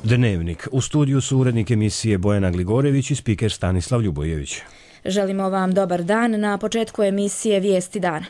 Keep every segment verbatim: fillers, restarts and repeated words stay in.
Dnevnik. U studiju su urednik emisije Bojana Gligorević i spiker Stanislav Ljubojević. Želimo vam dobar dan. Na početku emisije Vijesti dana.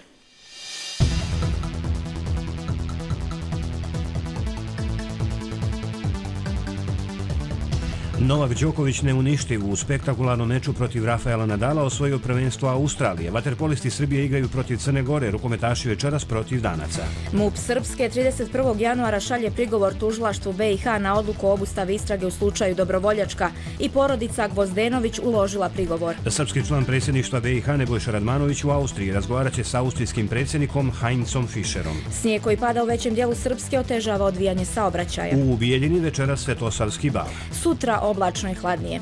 Novak Đoković neuništiv u spektakularnom meču protiv Rafaela Nadala osvojio prvenstvo Australije. Vaterpolisti Srbije igraju protiv Crne Gore, rukometaši večeras protiv Danaca. MUP Srpske trideset prvog januara šalje prigovor tužilaštvu B i H na odluku o obustavi istrage u slučaju Dobrovoljačka i porodica Gvozdenović uložila prigovor. Srpski član predsjedništva B i H Nebojša Radmanović u Austriji razgovarat će sa austrijskim predsjednikom Heinzom Fischerom. Snijeg koji pada u većem dijelu Srpske otežava odvijanje saobraćaja. U Bijeljini večeras Svetosavski bal. Sutra oblačno i hladnije.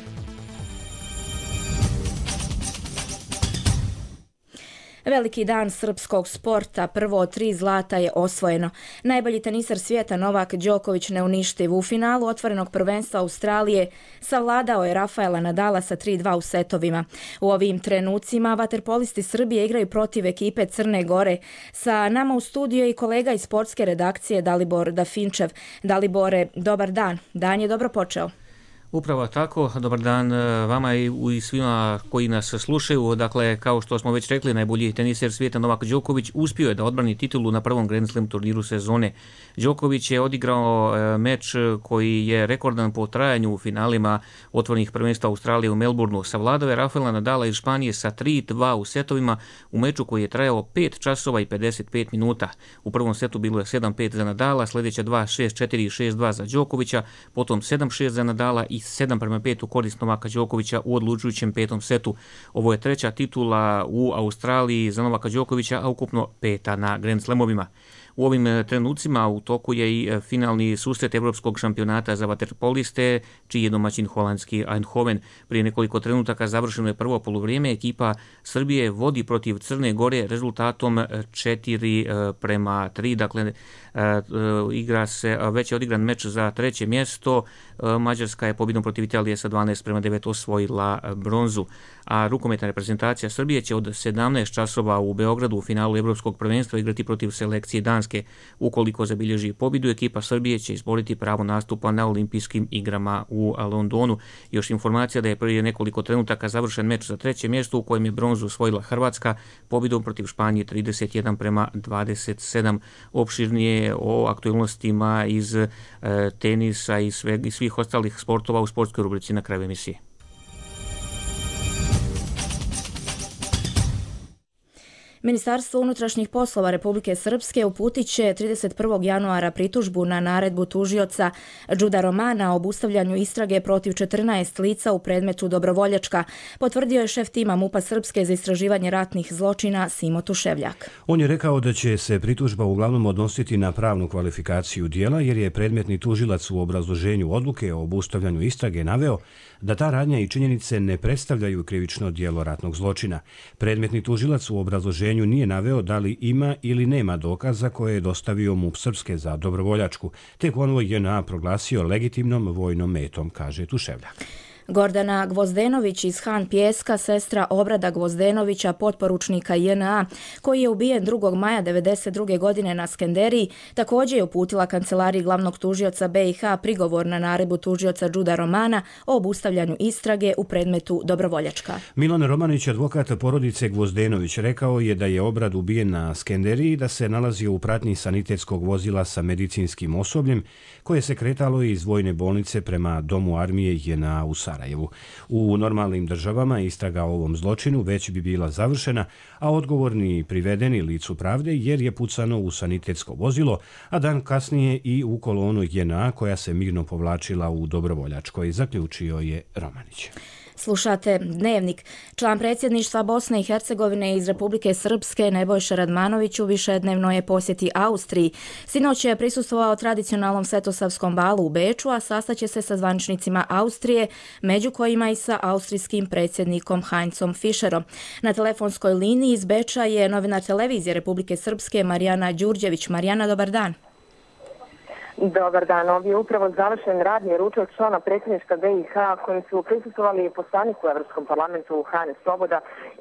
Veliki dan srpskog sporta, prvo od tri zlata je osvojeno. Najbolji teniser svijeta Novak Đoković neuništiv u finalu otvorenog prvenstva Australije savladao je Rafaela Nadala sa tri dva u setovima. U ovim trenucima vaterpolisti Srbije igraju protiv ekipe Crne Gore. Sa nama u studiju je i kolega iz sportske redakcije Dalibor Dafinčev. Dalibore, dobar dan. Dan je dobro počeo. Upravo tako, dobar dan vama i svima koji nas slušaju. Dakle, kao što smo već rekli, najbolji teniser svijeta Novak Đoković uspio je da odbrani titulu na prvom Grand Slam turniru sezone. Đoković je odigrao meč koji je rekordan po trajanju u finalima otvorenih prvenstva Australije u Melbourneu. Savladao je Rafaela Nadala iz Španije sa tri dva u setovima u meču koji je trajao pet časova i pedeset pet minuta. U prvom setu bilo je sedam pet za Nadala, sljedeća dva šest četiri i šest dva za Đokovića, potom sedam šest za Nadala i sedam prema pet u korist Novaka Đokovića u odlučujućem petom setu. Ovo je treća titula u Australiji za Novaka Đokovića, a ukupno peta na Grand Slamovima. U ovim trenucima u toku je i finalni susret Evropskog šampionata za vaterpoliste, čiji je domaćin holandski Eindhoven. Prije nekoliko trenutaka završeno je prvo poluvrijeme. Ekipa Srbije vodi protiv Crne Gore rezultatom četiri prema tri. Dakle, igra se, već je odigran meč za treće mjesto. Mađarska je pobjedom protiv Italije sa dvanaest prema devet osvojila bronzu. A rukometna reprezentacija Srbije će od sedamnaest časova u Beogradu u finalu Evropskog prvenstva igrati protiv selekcije Danske. Ukoliko zabilježi pobjedu, ekipa Srbije će izboriti pravo nastupa na olimpijskim igrama u Londonu. Još informacija da je prije nekoliko trenutaka završen meč za treće mjesto u kojem je bronzu osvojila Hrvatska pobjedom protiv Španije trideset jedan prema dvadeset sedam. Opširnije o aktualnostima iz e, tenisa i, sve, i svih ostalih sportova u sportskoj rubrici na kraju emisije. Ministarstvo unutrašnjih poslova Republike Srpske uputit će trideset prvog januara pritužbu na naredbu tužioca Đuda Romana o obustavljanju istrage protiv četrnaest lica u predmetu Dobrovoljačka, potvrdio je šef tima MUP-a Srpske za istraživanje ratnih zločina Simo Tuševljak. On je rekao da će se pritužba uglavnom odnositi na pravnu kvalifikaciju dijela, jer je predmetni tužilac u obrazloženju odluke o obustavljanju istrage naveo da ta radnja i činjenice ne predstavljaju krivično djelo ratnog zločina. Predmetni tužilac u obrazloženju nije naveo da li ima ili nema dokaza koje je dostavio MUP Srpske za Dobrovoljačku, te konvoj J N A proglasio legitimnom vojnom metom, kaže Tuševljak. Gordana Gvozdenović iz Han Pijeska, sestra Obrada Gvozdenovića, potporučnika J N A, koji je ubijen drugog maja devedeset druge godine na Skenderiji, također je uputila kancelariji glavnog tužioca B i H prigovor na naredbu tužioca Đuda Romana o obustavljanju istrage u predmetu Dobrovoljačka. Milan Romanić, advokat porodice Gvozdenović, rekao je da je Obrad ubijen na Skenderiji, da se nalazio u pratnji sanitetskog vozila sa medicinskim osobljem koje se kretalo iz vojne bolnice prema domu armije J N A u Sarajevu. U normalnim državama istraga o ovom zločinu već bi bila završena, a odgovorni privedeni licu pravde jer je pucano u sanitetsko vozilo, a dan kasnije i u kolonu J N A koja se mirno povlačila u Dobrovoljačkoj, zaključio je Romanić. Slušate Dnevnik. Član predsjedništva Bosne i Hercegovine iz Republike Srpske Nebojša Radmanović u višednevnoj je posjeti Austriji. Sinoć je prisustvovao tradicionalnom Svetosavskom balu u Beču, a sastaće se sa zvaničnicima Austrije, među kojima i sa austrijskim predsjednikom Heinzom Fischerom. Na telefonskoj liniji iz Beča je novinar televizije Republike Srpske Marijana Đurđević. Marijana, dobar dan. Dobar dan, ovdje je upravo završen radni ručak člana predsjedništva B i H kojim su prisustvovali poslanik u Evropskom parlamentu Hane Svoboda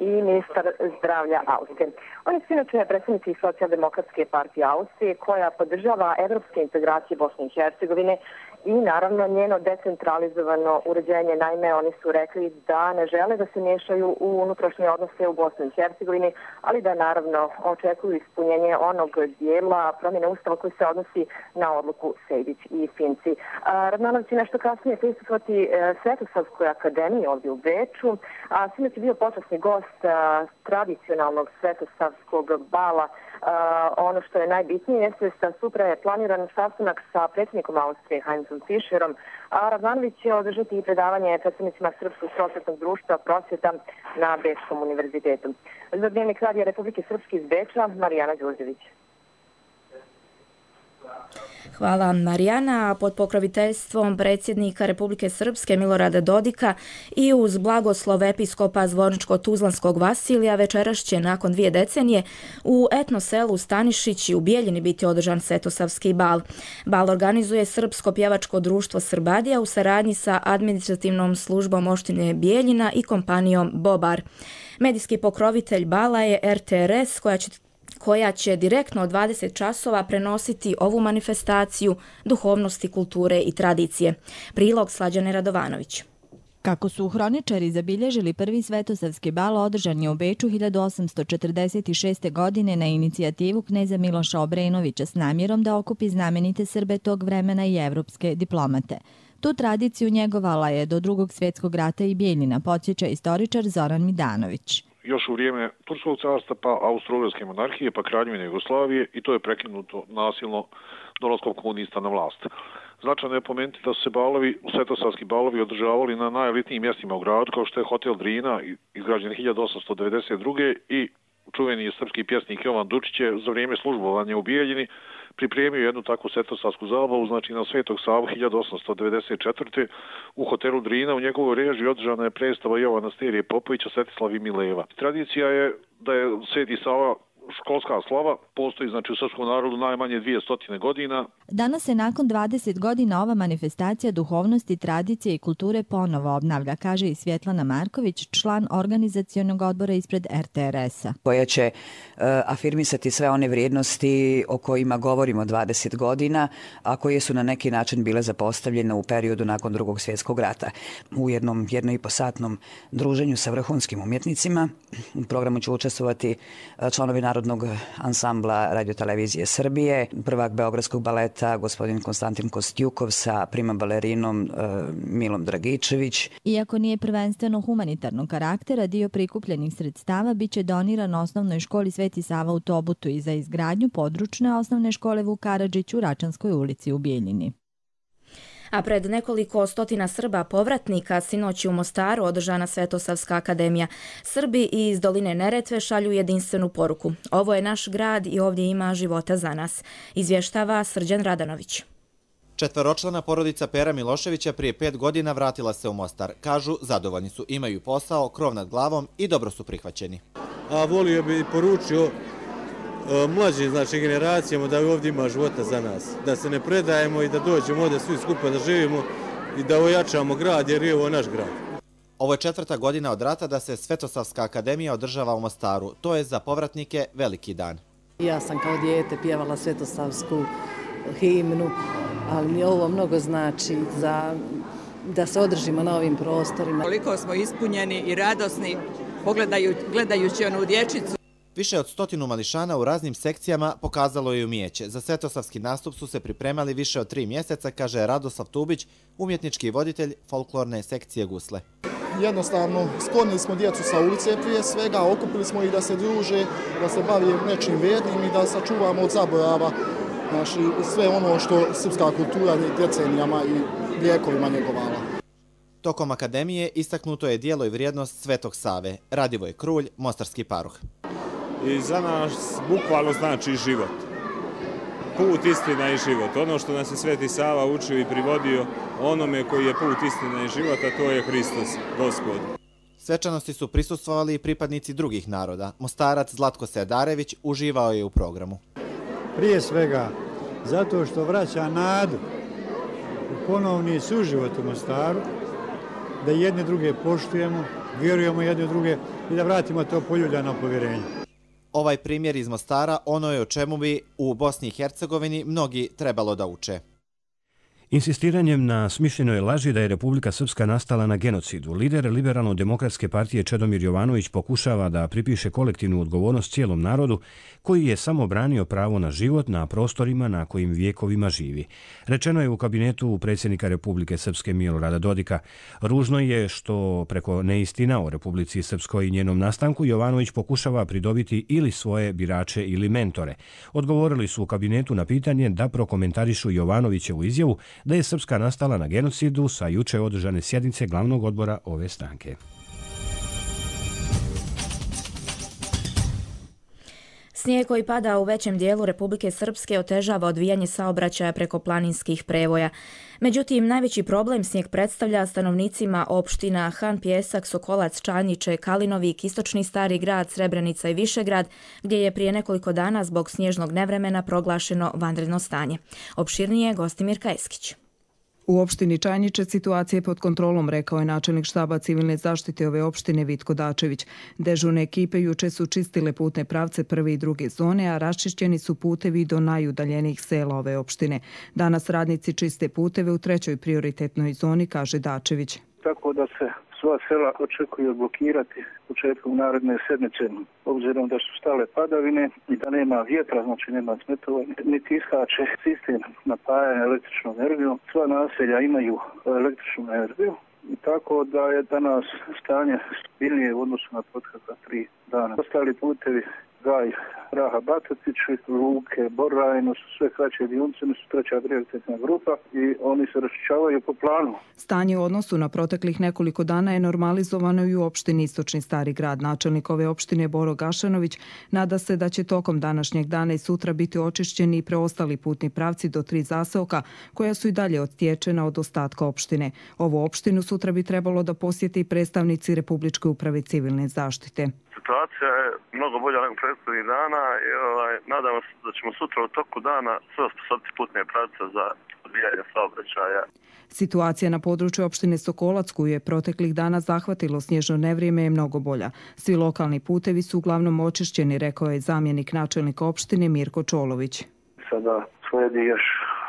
i ministar zdravlja Austrije. Oni su inače predsjednici Socijaldemokratske partije Austrije koja podržava evropske integracije Bosne i Hercegovine i naravno njeno decentralizovano uređenje. Naime, oni su rekli da ne žele da se miješaju u unutrašnje odnose u Bosni i Hercegovini, ali da naravno očekuju ispunjenje onog dijela promjene ustava koji se odnosi na odluku Sejdić i Finci. Radmanović će nešto kasnije prisustvovati Svetosavskoj akademiji ovdje u Beču, a sinoć je bio počasni gost tradicionalnog Svetosavskog bala. Ono što je najbitnije jeste da sutra je planiran sastanak sa predsjednikom Austrije Heinzom Fischerom, a Radmanović će održati i predavanje predstavnicima Srpskog prosvjetnog društva prosvjeta na Bečkom univerzitetu. Za Dnevnik radija Republike Srpske iz Beča, Marijana Đurđević. Hvala Marijana. Pod pokroviteljstvom predsjednika Republike Srpske Milorada Dodika i uz blagoslov episkopa Zvorničko-Tuzlanskog Vasilija večeras će nakon dvije decenije u etno selu Stanišić i u Bijeljini biti održan Svetosavski bal. Bal organizuje Srpsko pjevačko društvo Srbadija u saradnji sa administrativnom službom opštine Bijeljina i kompanijom Bobar. Medijski pokrovitelj bala je er te er es koja će koja će direktno od dvadeset časova prenositi ovu manifestaciju duhovnosti, kulture i tradicije. Prilog Slađane Radovanović. Kako su hroničari zabilježili prvi Svetosavski bal, održan je u Beču hiljadu osamsto četrdeset šeste. godine na inicijativu kneza Miloša Obrenovića s namjerom da okupi znamenite Srbe tog vremena i evropske diplomate. Tu tradiciju njegovala je do Drugog svjetskog rata i Bijeljina, podsjeća istoričar Zoran Midanović. Još u vrijeme Turskog carstva, pa Austro-Ugarske monarhije, pa Kraljevine Jugoslavije, i to je prekinuto nasilno dolaskom komunista na vlast. Značajno je pomenuti da su se balovi, svetosavski balovi održavali na najelitnijim mjestima u gradu, kao što je hotel Drina, izgrađen hiljadu osamsto devedeset druge. i čuveni srpski pjesnik Jovan Dučić je za vrijeme službovanja u Bijeljini pripremio jednu takvu svetosavsku zabavu, znači na Svetog Savu hiljadu osamsto devedeset četvrte. u hotelu Drina. U njegovoj režiji održana je predstava Jovana Sterije Popovića Svetislav i Mileva. Tradicija je da je Sveti Sava školska slava, postoji znači u srpskom narodu najmanje dvije stotine godina. Danas se nakon dvadeset godina ova manifestacija duhovnosti, tradicije i kulture ponovo obnavlja, kaže i Svjetlana Marković, član organizacionog odbora ispred er te er es-a. Koja će uh, afirmisati sve one vrijednosti o kojima govorimo dvadeset godina, a koje su na neki način bile zapostavljene u periodu nakon Drugog svjetskog rata. U jednom jedno i po satnom druženju sa vrhunskim umjetnicima u programu će učestvovati članovi Narodnog ansambla radiotelevizije Srbije, prvak Beogradskog baleta gospodin Konstantin Kostjukov sa prima balerinom e, Milom Dragičević. Iako nije prvenstveno humanitarnog karaktera, dio prikupljenih sredstava biće doniran osnovnoj školi Sveti Sava u Tobutu i za izgradnju područne osnovne škole Vuk Karadžić u Račanskoj ulici u Bijeljini. A pred nekoliko stotina Srba povratnika sinoć u Mostaru održana Svetosavska akademija. Srbi iz doline Neretve šalju jedinstvenu poruku. Ovo je naš grad i ovdje ima života za nas, izvještava Srđan Radanović. Četveročlana porodica Pera Miloševića prije pet godina vratila se u Mostar. Kažu, zadovoljni su, imaju posao, krov nad glavom i dobro su prihvaćeni. A volio bi poručio mlađim znači, generacijama da ovdje ima života za nas. Da se ne predajemo i da dođemo ovdje svi skupa da živimo i da ojačamo grad jer je ovo naš grad. Ovo je četvrta godina od rata da se Svetosavska akademija održava u Mostaru. To je za povratnike veliki dan. Ja sam kao dijete pjevala Svetosavsku himnu, ali mi ovo mnogo znači za, da se održimo na ovim prostorima. Koliko smo ispunjeni i radosni pogledaju, gledajući onu dječicu. Više od stotinu mališana u raznim sekcijama pokazalo je umijeće. Za svetosavski nastup su se pripremali više od tri mjeseca, kaže Radoslav Tubić, umjetnički voditelj folklorne sekcije Gusle. Jednostavno, sklonili smo djecu sa ulice prije svega, okupili smo ih da se druže, da se bavi nečim vrijednim i da sačuvamo od zaborava znači, sve ono što srpska kultura decenijama i vijekovima njegovala. Tokom akademije istaknuto je dijelo i vrijednost Svetog Save. Radivoj Krulj, mostarski paroh. I za nas bukvalno znači život. Put, istina i život. Ono što nas je Sveti Sava učio i privodio onome koji je put, istina i život, a to je Hristos, Gospod. Svečanosti su prisustvovali i pripadnici drugih naroda. Mostarac Zlatko Sedarević uživao je u programu. Prije svega zato što vraća nadu u ponovni suživot u Mostaru, da jedne druge poštujemo, vjerujemo jedne druge i da vratimo to poljuljano povjerenje. Ovaj primjer iz Mostara ono je o čemu bi u Bosni i Hercegovini mnogi trebalo da uče. Insistiranjem na smišljenoj laži da je Republika Srpska nastala na genocidu, lider Liberalno-demokratske partije Čedomir Jovanović pokušava da pripiše kolektivnu odgovornost cijelom narodu koji je samo branio pravo na život na prostorima na kojim vijekovima živi. Rečeno je u kabinetu predsjednika Republike Srpske Milorada Dodika. Ružno je što preko neistina o Republici Srpskoj i njenom nastanku Jovanović pokušava pridobiti ili svoje birače ili mentore. Odgovorili su u kabinetu na pitanje da prokomentarišu Jovanovićevu izjavu da je Srpska nastala na genocidu sa juče održane sjednice glavnog odbora ove stranke. Snijeg koji pada u većem dijelu Republike Srpske otežava odvijanje saobraćaja preko planinskih prevoja. Međutim, najveći problem snijeg predstavlja stanovnicima opština Han, Pjesak, Sokolac, Čanjiče, Kalinovik, Istočni Stari grad, Srebrenica i Višegrad, gdje je prije nekoliko dana zbog snježnog nevremena proglašeno vanredno stanje. Opširnije Gostimir Kajeskić. U opštini Čanjiče situacija je pod kontrolom, rekao je načelnik štaba civilne zaštite ove opštine Vitko Dačević. Dežurne ekipe juče su čistile putne pravce prve i druge zone, a raščišćeni su putevi do najudaljenijih sela ove opštine. Danas radnici čiste puteve u trećoj prioritetnoj zoni, kaže Dačević. Tako da se sva sela očekuju odblokirati početkom naredne sedmice, obzirom da su stale padavine i da nema vjetra, znači nema smetovanja, niti iskače sistem napajanja električnom energijom. Sva naselja imaju električnu energiju i tako da je danas stanje stabilnije u odnosu na protekla tri dana. Ostali putevi Gaj, Raha, Batatići, Luke, Borajno su sve kraće dionice, su treća prioritetna grupa i oni se raščišćavaju po planu. Stanje u odnosu na proteklih nekoliko dana je normalizovano i u opštini Istočni Stari grad. Načelnik ove opštine Boro Gašanović nada se da će tokom današnjeg dana i sutra biti očišćeni i preostali putni pravci do tri zaseoka koja su i dalje odtječena od ostatka opštine. Ovu opštinu sutra bi trebalo da posjeti predstavnici Republičke uprave civilne zaštite. Situacija je mnogo bolja nego prethodnih dana i ovaj, nadamo se da ćemo sutra u toku dana sve osposobiti putne pravce za odvijanje saobraćaja. Situacija na području opštine Sokolac, koju je proteklih dana zahvatilo snježno nevrijeme, je mnogo bolja. Svi lokalni putevi su uglavnom očišćeni, rekao je zamjenik načelnika opštine Mirko Čolović. Sada sledi još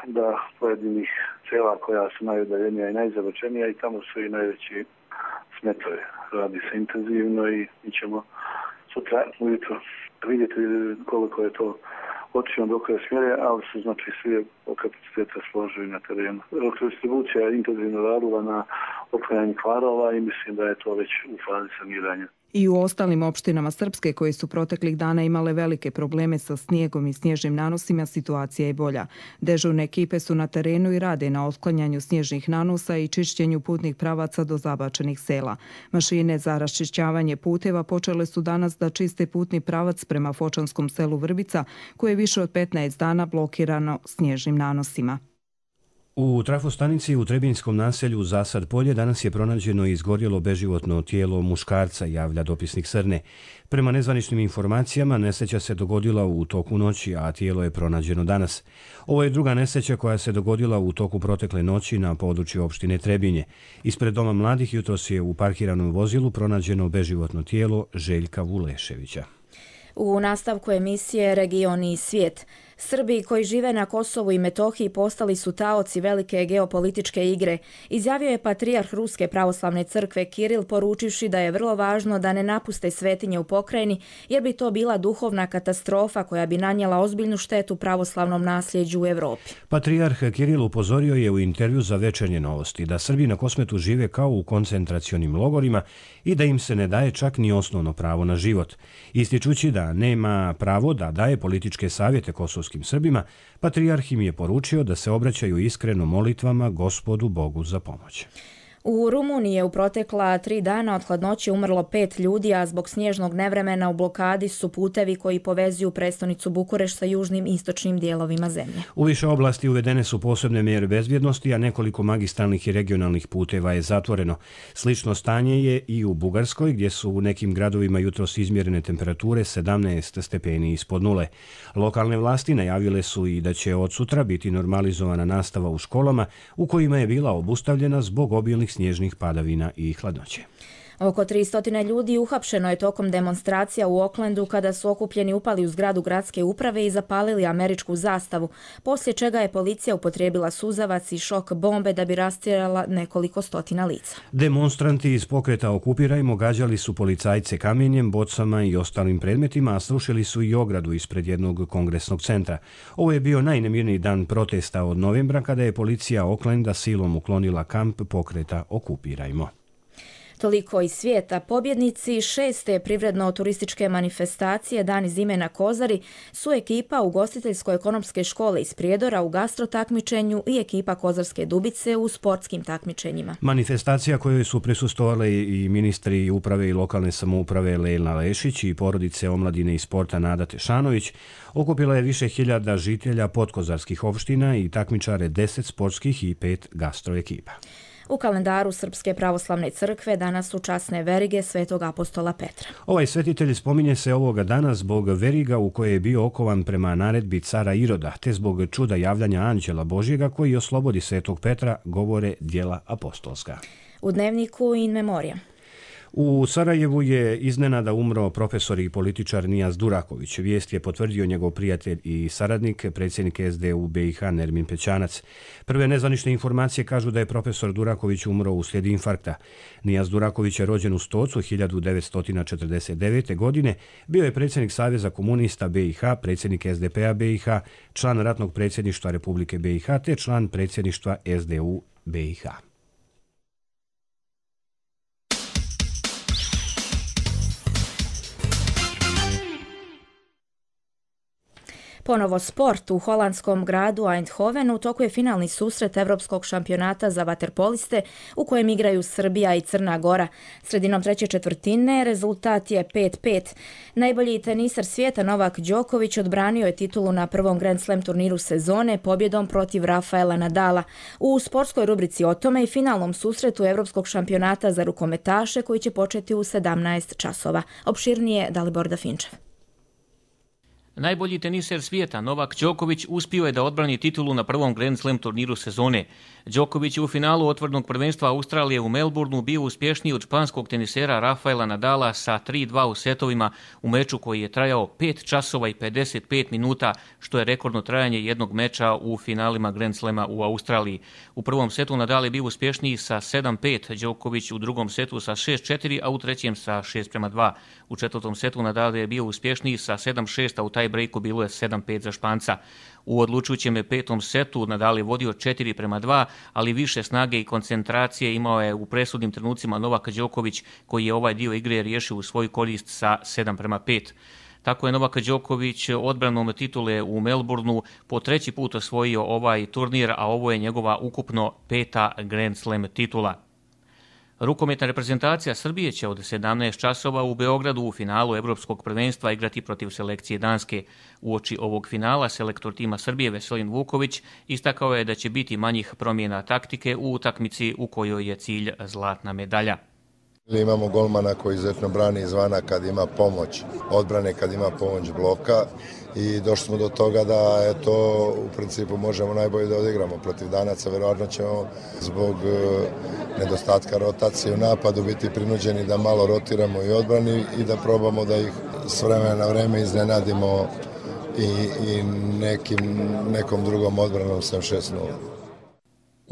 da pojedinih sela koja su najudaljenija i najzabačenija i tamo su i najveći smetove. Radi se intenzivno i mi ćemo sutra ujutro vidjeti koliko je to otišlo do koje smjere, ali su znači svi kapacitete složili na terenu. Elektrodistribucija je intenzivno radila na otklanjanju kvarova i mislim da je to već u fazi saniranja. I u ostalim opštinama Srpske koje su proteklih dana imale velike probleme sa snijegom i snježnim nanosima, situacija je bolja. Dežurne ekipe su na terenu i rade na otklanjanju snježnih nanosa i čišćenju putnih pravaca do zabačenih sela. Mašine za raščišćavanje puteva počele su danas da čiste putni pravac prema fočanskom selu Vrbica, koje je više od petnaest dana blokirano snježnim nanosima. U trafostanici u Trebinskom naselju Zasad Polje danas je pronađeno i izgorjelo beživotno tijelo muškarca, javlja dopisnik Srne. Prema nezvaničnim informacijama, nesreća se dogodila u toku noći, a tijelo je pronađeno danas. Ovo je druga nesreća koja se dogodila u toku protekle noći na području opštine Trebinje. Ispred Doma mladih jutros je u parkiranom vozilu pronađeno beživotno tijelo Željka Vuleševića. U nastavku emisije Region i svijet. Srbi koji žive na Kosovu i Metohiji postali su taoci velike geopolitičke igre, izjavio je patrijarh Ruske pravoslavne crkve Kiril, poručivši da je vrlo važno da ne napuste svetinje u pokrajini, jer bi to bila duhovna katastrofa koja bi nanijela ozbiljnu štetu pravoslavnom nasljeđu u Evropi. Patrijarh Kiril upozorio je u intervju za Večernje novosti da Srbi na Kosmetu žive kao u koncentracionim logorima i da im se ne daje čak ni osnovno pravo na život. Ističući da nema pravo da daje političke savjete kosovskim Srbima, patrijarh im je poručio da se obraćaju iskreno molitvama Gospodu Bogu za pomoć. U Rumuniji je u protekla tri dana od hladnoće umrlo pet ljudi, a zbog snježnog nevremena u blokadi su putevi koji povezuju prestonicu Bukureš sa južnim i istočnim dijelovima zemlje. U više oblasti uvedene su posebne mjere bezbjednosti, a nekoliko magistralnih i regionalnih puteva je zatvoreno. Slično stanje je i u Bugarskoj, gdje su u nekim gradovima jutros izmjerene temperature sedamnaest stepeni ispod nule. Lokalne vlasti najavile su i da će od sutra biti normalizovana nastava u školama, u kojima je bila obustavljena zbog obilnih snježnih padavina i hladnoće. Oko tristo ljudi uhapšeno je tokom demonstracija u Oaklandu kada su okupljeni upali u zgradu gradske uprave i zapalili američku zastavu, poslije čega je policija upotrijebila suzavac i šok bombe da bi rastjerala nekoliko stotina lica. Demonstranti iz pokreta Okupirajmo gađali su policajce kamenjem, bocama i ostalim predmetima, a srušili su i ogradu ispred jednog kongresnog centra. Ovo je bio najnemirniji dan protesta od novembra kada je policija Oaklanda silom uklonila kamp pokreta Okupirajmo. Toliko iz svijeta. Pobjednici šeste privredno-turističke manifestacije Dan zime na Kozari su ekipa ugostiteljsko-ekonomske škole iz Prijedora u gastro takmičenju i ekipa Kozarske Dubice u sportskim takmičenjima. Manifestacija kojoj su prisustvovali i ministri uprave i lokalne samouprave Lejla Lešić i porodice omladine i sporta Nada Tešanović okupila je više hiljada žitelja podkozarskih opština i takmičare deset sportskih i pet gastro ekipa. U kalendaru Srpske pravoslavne crkve danas su časne verige Svetog apostola Petra. Ovaj svetitelj spominje se ovoga dana zbog veriga u koje je bio okovan prema naredbi cara Iroda, te zbog čuda javljanja anđela Božjega koji oslobodi Svetog Petra, govore djela apostolska. U dnevniku in memoriam. U Sarajevu je iznenada umro profesor i političar Nijaz Duraković. Vijest je potvrdio njegov prijatelj i saradnik, predsjednik S D U B i H Nermin Pećanac. Prve nezvanične informacije kažu da je profesor Duraković umro uslijed infarkta. Nijaz Duraković je rođen u Stocu hiljadu devetsto četrdeset devete. godine, bio je predsjednik Saveza komunista B i H, predsjednik S D P-a B i H, član ratnog predsjedništva Republike B i H te član predsjedništva S D U B i H. Ponovo sport. U holandskom gradu Eindhovenu u toku je finalni susret Evropskog šampionata za vaterpoliste u kojem igraju Srbija i Crna Gora. Sredinom treće četvrtine rezultat je pet pet. Najbolji tenisar svijeta Novak Đoković odbranio je titulu na prvom Grand Slam turniru sezone pobjedom protiv Rafaela Nadala. U sportskoj rubrici o tome i finalnom susretu Evropskog šampionata za rukometaše koji će početi u sedamnaest časova. Opširnije Dalibor Dafinčev. Najbolji teniser svijeta Novak Đoković uspio je da odbrani titulu na prvom Grand Slam turniru sezone. Đoković je u finalu otvorenog prvenstva Australije u Melbourneu bio uspješniji od španskog tenisera Rafaela Nadala sa tri dva u setovima u meču koji je trajao pet časova i pedeset pet minuta, što je rekordno trajanje jednog meča u finalima Grand Slama u Australiji. U prvom setu Nadal je bio uspješniji sa sedam pet, Đoković u drugom setu sa šest četiri, a u trećem sa šest prema dva. U četvrtom setu Nadal je bio uspješniji sa sedam šest, a u taj breaku bilo je sedam pet za Španca. U odlučujućem petom setu Nadal je vodio četiri prema dva, ali više snage i koncentracije imao je u presudnim trenucima Novak Đoković, koji je ovaj dio igre riješio u svoj korist sa sedam prema pet. Tako je Novak Đoković odbranom titule u Melbourneu po treći put osvojio ovaj turnir, a ovo je njegova ukupno peta Grand Slam titula. Rukometna reprezentacija Srbije će od sedamnaest časova u Beogradu u finalu Evropskog prvenstva igrati protiv selekcije Danske. Uoči ovog finala selektor tima Srbije Veselin Vuković istakao je da će biti manjih promjena taktike u utakmici u kojoj je cilj zlatna medalja. Imamo golmana koji izuzetno brani izvana kad ima pomoć odbrane, kad ima pomoć bloka i došli smo do toga da eto, u principu možemo najbolje da odigramo protiv Danaca. Verovatno ćemo zbog nedostatka rotacije u napadu biti prinuđeni da malo rotiramo i odbrani i da probamo da ih s vremena na vreme iznenadimo i, i nekim, nekom drugom odbranom sem šest nula.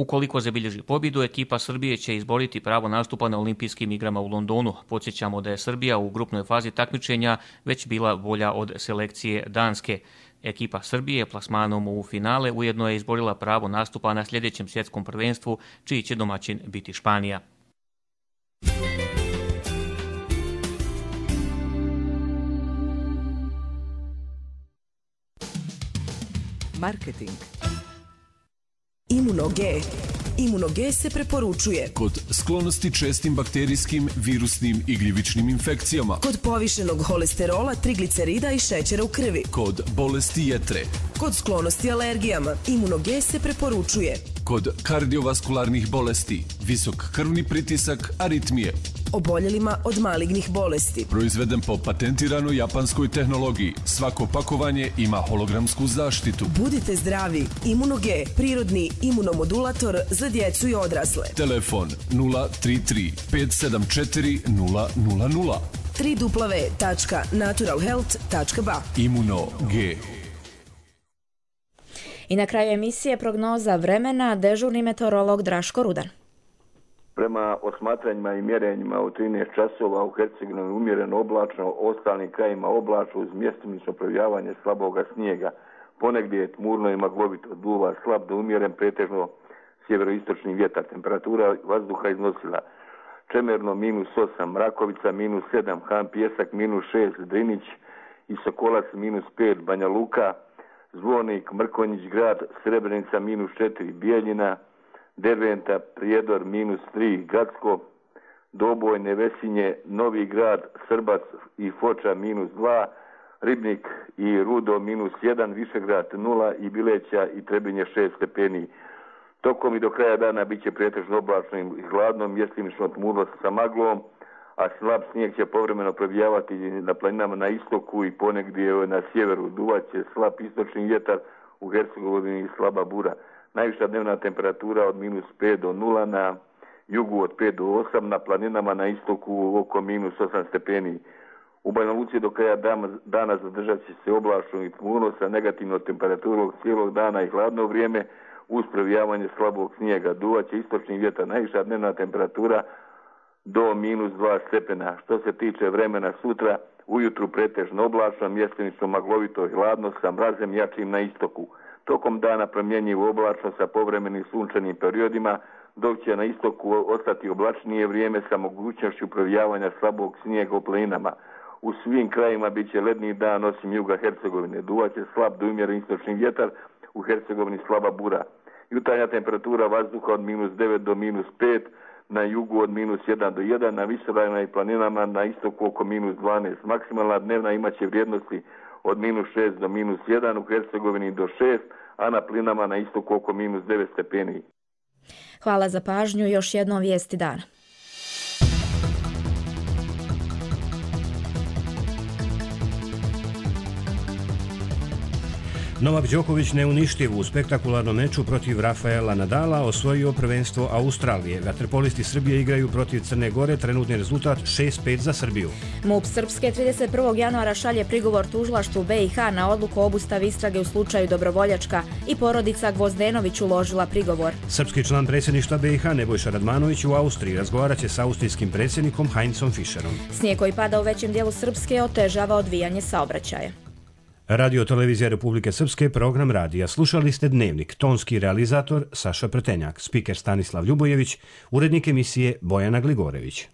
Ukoliko zabilježi pobjedu, ekipa Srbije će izboriti pravo nastupa na olimpijskim igrama u Londonu. Podsjećamo da je Srbija u grupnoj fazi takmičenja već bila bolja od selekcije Danske. Ekipa Srbije plasmanom u finale ujedno je izborila pravo nastupa na sljedećem svjetskom prvenstvu, čiji će domaćin biti Španija. Marketing. Imuno-G. Imuno-G se preporučuje kod sklonosti čestim bakterijskim, virusnim i gljivičnim infekcijama, kod povišenog holesterola, triglicerida i šećera u krvi, kod bolesti jetre, kod sklonosti alergijama. Imuno-G se preporučuje kod kardiovaskularnih bolesti, visok krvni pritisak, aritmije, oboljelima od malignih bolesti. Proizveden po patentiranoj japanskoj tehnologiji. Svako pakovanje ima hologramsku zaštitu. Budite zdravi. Imunoge, prirodni imunomodulator za djecu i odrasle. Telefon nula tri tri pet sedam četiri nula nula nula. w w w tačka natural health tačka b a. Imuno G. I na kraju emisije prognoza vremena, dežurni meteorolog Draško Rudan. Prema osmatranjima i mjerenjima u trinaest časova u Hercegovini umjereno oblačno, ostalim krajima oblačno uz mjestimično projavljavanje slaboga snijega. Ponegdje je tmurno i maglovito, duva slab do umjeren, pretežno sjeveroistočni vjetar. Temperatura vazduha iznosila Čemerno minus osam, Rakovica minus sedam, Han Pjesak minus šest, Drinić i Sokolac minus pet, Banja Luka, Zvonik, Mrkonjić grad, Srebrenica minus četiri, Bijeljina, Derventa, Prijedor minus tri, Gradsko, Doboj, Nevesinje, Novi grad, Srbac i Foča minus dva, Ribnik i Rudo minus jedan, Višegrad nula i Bileća i Trebinje šest stepeni. Tokom i do kraja dana bit će pretežno oblačno i hladno, mjestimično tmurno sa maglom, a slab snijeg će povremeno probijavati na planinama na istoku i ponegdje na sjeveru. Duvaće slab istočni vjetar, u Hercegovini i slaba bura. Najviša dnevna temperatura od minus pet do nula, na jugu od pet do osam, na planinama na istoku oko minus osam stepeni. U Banja Luci do kraja dana zadržat će se oblačno i tmurno sa negativnom temperaturom cijelog dana i hladno vrijeme uz probijavanje slabog snijega. Duvaće istočni vjetar, najviša dnevna temperatura do minus dva stepena. Što se tiče vremena sutra, ujutru pretežno oblačno, mjestimično maglovito i hladno sa mrazem jačim na istoku. Tokom dana promjenjivo oblačno sa povremenim sunčanim periodima, dok će na istoku ostati oblačnije vrijeme sa mogućnošću provijavanja slabog snijega u planinama. U svim krajima bit će ledni dan osim juga Hercegovine. Duvaće slab do umjeren istočni vjetar, u Hercegovini slaba bura. Jutarnja temperatura vazduha od minus devet do minus pet, na jugu od minus jedan do jedan, na visoravnima i planinama na istoku oko minus dvanaest. Maksimalna dnevna imaće vrijednosti od minus šest do minus jedan, u Hercegovini do šest, a na plinama na istoku oko minus devet stepeni. Hvala za pažnju, još jednom vijesti dana. Novak Đoković neuništiv u spektakularnom meču protiv Rafaela Nadala osvojio prvenstvo Australije. Vaterpolisti Srbije igraju protiv Crne Gore, trenutni rezultat šest pet za Srbiju. MUP Srpske trideset prvog januara šalje prigovor tužilaštvu B i H na odluku o obustavi istrage u slučaju Dobrovoljačka i porodica Gvozdenović uložila prigovor. Srpski član predsjedništva B i H Nebojša Radmanović u Austriji razgovarat će sa austrijskim predsjednikom Heinzom Fischerom. Snijeg koji pada u većem dijelu Srpske otežava odvijanje saobraćaja. Radio Televizija Republike Srpske, program radija. Slušali ste Dnevnik, tonski realizator Saša Pretenjak, spiker Stanislav Ljubojević, urednik emisije Bojana Gligorević.